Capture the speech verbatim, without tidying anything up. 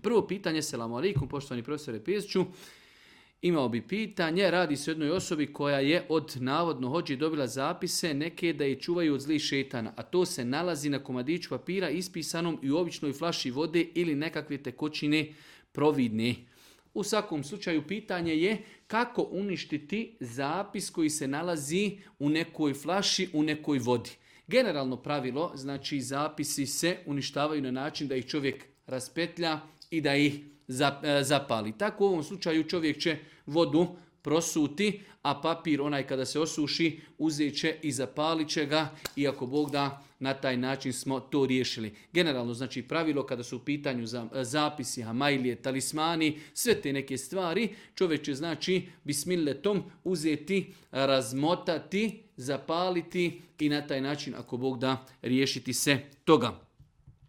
Prvo pitanje, selamu alaikum, poštovani profesore Peziću. Imao bi pitanje, radi se o jednoj osobi koja je od navodno hođi dobila zapise neke da je čuvaju od zlih šetana, a to se nalazi na komadiću papira ispisanom i u običnoj flaši vode ili nekakve tekočine providne. U svakom slučaju pitanje je kako uništiti zapis koji se nalazi u nekoj flaši, u nekoj vodi. Generalno pravilo, znači zapisi se uništavaju na način da ih čovjek raspetlja i da ih zapali. Tako u ovom slučaju čovjek će vodu prosuti, a papir onaj kada se osuši uzet će i zapalit će ga i ako Bog da na taj način smo to riješili. Generalno znači pravilo kada su u pitanju zapisi, hamailije, talismani, sve te neke stvari, čovjek će znači bismilletom uzeti, razmotati, zapaliti i na taj način ako Bog da riješiti se toga.